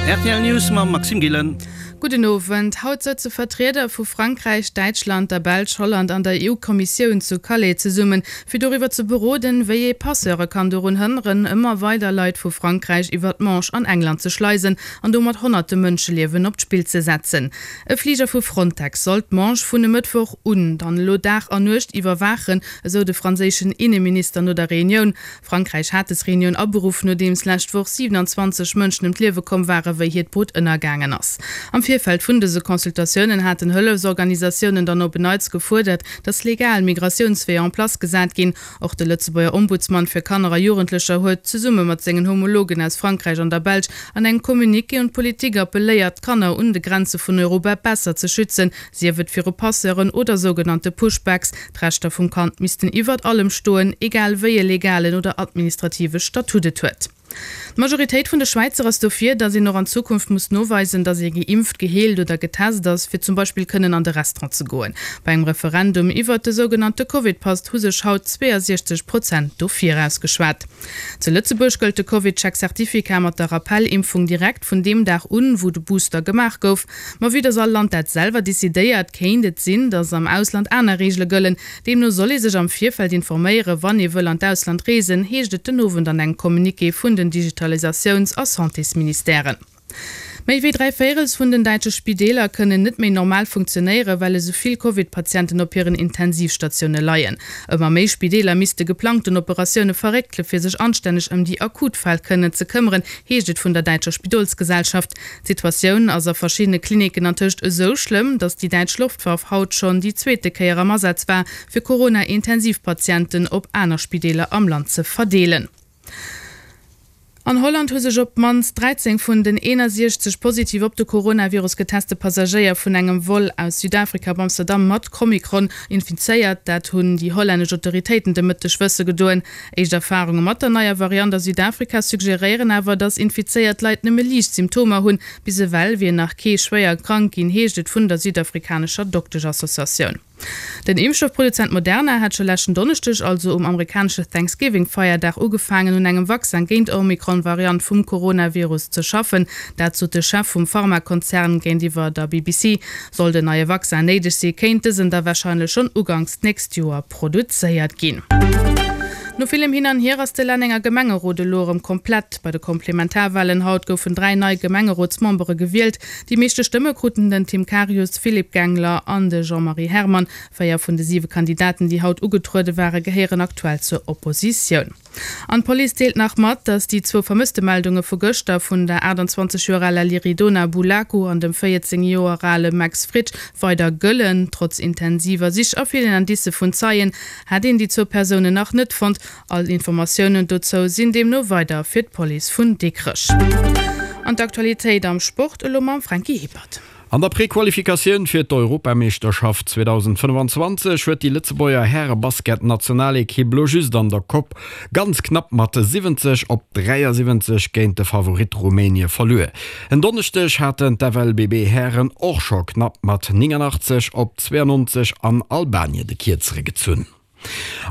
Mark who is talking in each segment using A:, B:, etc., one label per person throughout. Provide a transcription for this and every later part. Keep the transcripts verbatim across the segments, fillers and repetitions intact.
A: R T L News mam Maxime Gillen.
B: Gudden Owend. Haut sëtze Vertrieder vu Frankräich, Däitschland, der Belsch, Holland an der E U-Kommissioun zu Calais zesummen, fir doriwwer ze beroden, wéi ee Passeure kann dorun hënneren, ëmmer weider Leit vu Frankräich iwwer d'Manche an England ze schleisen an domat honnerte Mënscheliewen op d'Spill ze setzen. E Fliger vu Frontex soll d'Manche vun e Mëttwoch un dann elo Dag an Nuecht iwwerwaachen, esou de franséischen Inneminister no der Reunioun. Frankräich hat des Reunioun aberuff, nodeems lescht Woch siewenanzwanzeg Mënschen ëm d'Liewe komm waren, wéi hiert Boot ënnergaangen ass. Am Virfeld vun dëse Consultatiounen haten Hëllefsorganisatiounen dann op en Neits gefuerdert, datt legal Migratiounsweeër en place gesat ginn. Och de Lëtzebuerger Ombudsman fir Kanner a Jugendlecher huet zesumme mat sengen Homologen aus Frankräich an der Belsch an engem Communiqué un d'Politik appelléiert, d'Kanner un de Grenze vun Europa besser ze schützen, sief et viru Passeuren oder sougenannte Pushbacks. D'Rechter vum Kand missten iwwert allem stoen, egal wéi e legalen oder administrative Statut et huet. D'Majoritéit vun de Schwäizer ass dofir, datt een och an Zukunft muss noweisen, datt ee geimpft, geheelt oder getest ass, fir zum Beispill kënnen an de Restaurant ze goen. Bei engem Referendum iwwert de sougenannte Covid-Pass hu sech haut zweeënsiechzeg Prozent dofir ausgeschwat. Zu Lëtzebuerg gëllt de CovidCheck-Certificat mat der Rappel-Impfung direkt vun deem Dag un, wou de Booster gemaach gouf. Ma vue datt all Land dat selwer decidéiert, kéint et sinn, datt am Ausland aner Reegele gëllen. Deemno soll ee sech am Virfeld informéieren, wann ee wëll an d'Ausland reesen, heescht et den Owend an engem Communiqué vun den Digitalisatiouns a Santésministèren. Méi wéi dräi Véirels vun den däitsche Spideeler kënnen net méi normal funktionéieren, well esou vill Covid-Patienten op hiren Intensivstatioune leien. Ëmmer méi Spideeler misste geplangten Operatioune verréckele fir sech anstänneg ëm déi akut Fäll kënnen ze këmmeren, heescht et vun der däitscher Spidolsgesellschaft. D'Situatioun ass a verschiddene Klinicken antëscht esou schlëmm, datt déi däitsch Loftwaff haut schonn déi zweete Kéier am Asaz war, fir Corona-Intensivpatienten op aner Spideeler am Land ze verdeelen. An Holland hu sech op d'mannst dräizéng vun den eenasiechzeg positiv op de Coronavirus geteste Passagéier vun engem Vol aus Südafrika op Amsterdam mat Omikron infizéiert. Dat hunn déi hollännesch Autoritéiten de Mëtteg wësse gedoen. Éischt Erfarunge mat der neier Variant a Südafrika suggeréieren awer, datt infizéiert Leit nëmme liicht Symptomer hunn. Bis ewell wier nach kee schwéier krank ginn, heescht et vun der südafrikanescher Dokteschassociatioun. Den Impfstoffproduzent Moderna hat scho leschten Donneschdeg, also um amerikanesche Thanksgiving-Feierdag, ugefaangen un engem Vaccin géint d'Omikron-Variant vum Coronavirus ze schaffen. Dat sot de Chef vum Pharmakonzern géintiwwer der B B C. Sollt en neie Vaccin néideg sinn, kéint dësen da warscheinlech schonn uganks d'nächst Joer produzéiert ginn. No villem Hin an Hier ass de Lennenger Gemengerot elo erëm komplett. Bei de Komplementarwalen haut goufen dräi nei Gemengerotsmembere gewielt. Déi meeschte Stëmme kruten den Tim Karius, Philippe Gengler an de Jean-Marie Herrmann. Véier vun de siwe Kandidaten, déi haut ugetruede waren, gehéieren aktuell zur Oppositioun. An d'Police deelt nach mat, datt déi zwou Vermësstemeldunge vu gëschter vun der aachtanzwanzeg Joer aler Liridona Bulaku an dem véierzéng Joer ale Max Fritsch weider gëllen. Trotz intensiver Sich a villen Indicë vun Zeien hätt een déi zwou Persounen nach net fonnt. All Informatiounen dozou sinn deemno weider fir d'Police vun Dikrech. An d'Aktualitéit am Sport elo mam Franky Hippert.
C: An der Prequalifikatioun fir d'Europameeschterschaft zweedausendfënnefanzwanzeg huet déi Lëtzebuerger Häre-Basket-Nationalekipp lo just an der Coupe ganz knapp mat siwwenzeg op dräiasiwwenzeg géint de Favorit Rumänie verluer. En Donneschdeg haten d'F L B B-Hären och scho knapp mat néngannachtzeg op zweeannonzeg an Albanien de Kierzere gezunn.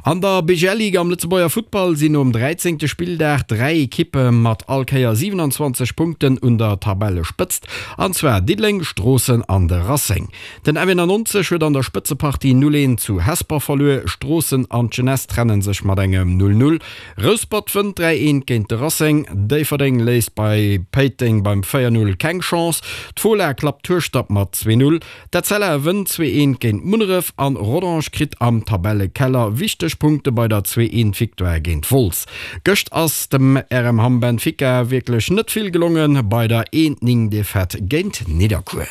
C: An der B G L-Liga am Lëtzebuerger Futtball sinn nom dräizéngte Spilldag dräi Ekippe mat all Kéier siewenanzwanzeg Punkten un der Tabellespëtzt, an zwar Diddeleng, Stroossen an de Racing. Den F eenannonzeg huet an der Spëtzepartie null eent zu Hesper verluer, Stroossen an d'Jeunesse trenne sech mat engem null null. Rouspert wënnt dräi eent géint de Racing, Déifferdeng léisst bei Péiteng beim véier null keng Chance, d'Fola klappt Hueschtert mat zwee null, D'Etzella wënnt zwee eent géint Munneref an Rodange kritt am Tabellekeller wichteg Punkte bei der zwee eent Victoire géint Wolz. Gëscht ass dem R M Hamm Benfica wierklech net vill gelongen bei der eent néng Defaite géint Nidderkuer.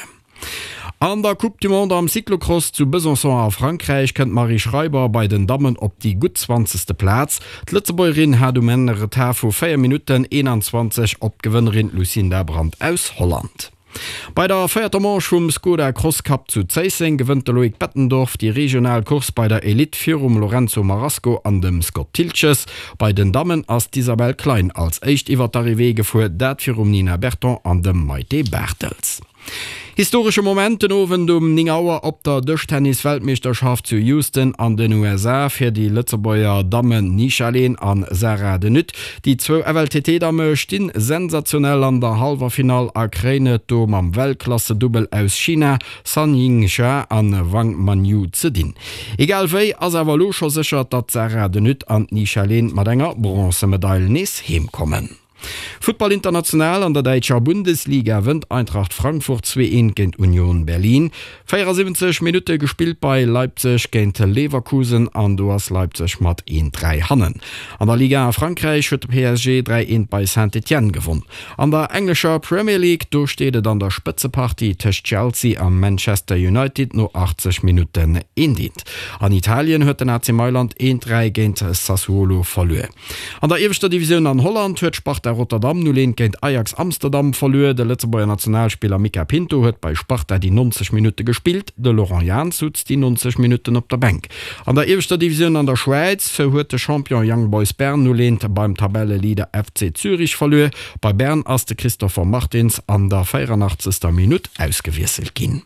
C: An der Coupe du Monde am Cyclocross zu Besançon a Frankräich kënnt d'Marie Schreiber bei den Dammen op déi gutt zwanzegste Plaz. D'Lëtzebuergerin hat um Enn e Retard vu véier Minutten eenanzwanzeg op d'Gewënnerin Lucinda Brand aus Holland. Bei der véierter Manche vum Skoda Cross Cup zu Zéisseng gewënnt de Loïc Bettendorf déi regional Course bei der Elite virum Lorenzo Marasco an dem Scott Thiltges. Bei den Dammen ass d'Isabelle Klein als éischt iwwer d'Arrivée gefuer, dat virum Nina Berton an dem Maite Bartels. Historesche Moment den Owend um néng Auer op der Dëschtennis-Weltmeeschterschaft zu Houston an den U S A fir déi Lëtzebuerger Dammen Nisha Lehn an Sarah De Nutte. Déi zwou F L T T-Damme stinn sensationell an der Hallwerfinall a kréien et do mam Weltklasse-Dubbel aus China Sun Yingsha an Wang Manyu ze dinn. Egal wéi ass awer elo scho sécher, datt d'Sarah De Nutte an d'Nisha Lehn mat enger Bronzemedail nees heem kommen. Futtball international an der däitscher Bundesliga wënnt Eintracht Frankfurt zwee eent géint Union Berlin. véierasiwwenzeg Minutte gespillt bei Leipzig géint Leverkusen an do ass Leipzig mat eent dräi hannen. An der Liga a Frankräich huet de P S G dräi eent bei Saint-Étienne gewonn. An der englescher Premier League do steet et an der Spëtzepartie tëscht Chelsea a Manchester United no achtzeg Minutten eent eent. An Italien huet den A C Mailand eent dräi géint Sassuolo verluer. An der ieweschter Divisioun an Holland huet Sparta Rotterdam null eent géint Ajax Amsterdam verluer. De Lëtzebuerger Nationalspiller Mika Pinto huet bei Sparta déi neunzeg Minutte gespillt, de Laurent Jans sutz déi neunzeg Minutten op der Bänk. An der ieweschter Divisioun an der Schwäiz huet de Champion Young Boys Bern null eent beim Tabelleleader F C Zürich verluer. Bei Bern ass de Christopher Martins an der vierundachtzigster Minute ausgewiesselt ginn.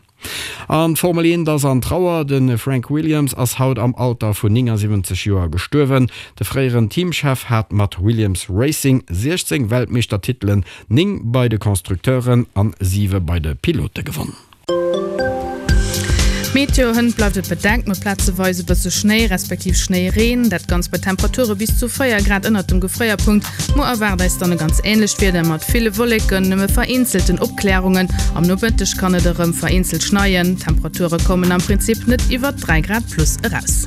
C: An Formel eent ass an Trauer, de Frank Williams ass haut am Alter vun neunundsiebzig Joer gestuerwen. De fréieren Teamchef hat mat Williams Racing sechzehn Weltmeistertiteln, neun bei de Konstrukteuren an sieben bei de Pilote gewonnen.
B: Meteo hënt bleift et bedeckt mat plazeweise bësse Schnéi respektiv Schnéireen, dat ganz bei Temperature bis zu véier Grad ënnert dem Gefréierpunkt. Mo erwaart eis dann e ganz ähnlecht Wieder mat ville Wolleken, nëmme vereenzelten Opklärungen. Am Nomëtteg kann et erëm vereenzelt schneien. Temperature kommen am Prinzip net iwwer dräi Grad plus eraus.